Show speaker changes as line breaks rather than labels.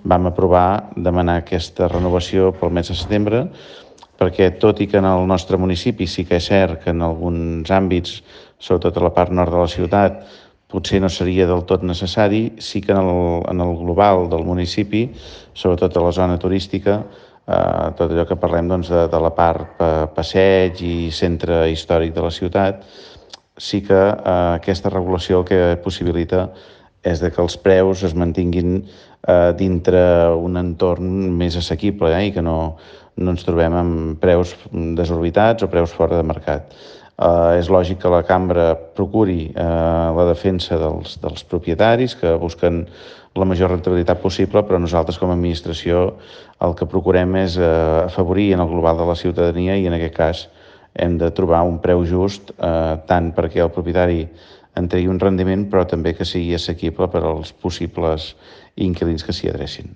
vam aprovar demanar aquesta renovació pel mes de setembre, perquè tot i que en el nostre municipi sí que és cert que en alguns àmbits, sobretot a la part nord de la ciutat, potser no seria del tot necessari, sí que en el global del municipi, sobretot a la zona turística, tot allò que parlem de la part passeig i centre històric de la ciutat, sí que aquesta regulació el que possibilita és que els preus es mantinguin dintre un entorn més assequible i que no ens trobem amb preus desorbitats o preus fora de mercat. És lògic que la cambra procuri la defensa dels propietaris que busquen la major rentabilitat possible, però nosaltres com a administració el que procurem és afavorir en el global de la ciutadania i en aquest cas hem de trobar un preu just tant perquè el propietari en tregui un rendiment però també que sigui assequible per als possibles inquilins que s'hi adrecin.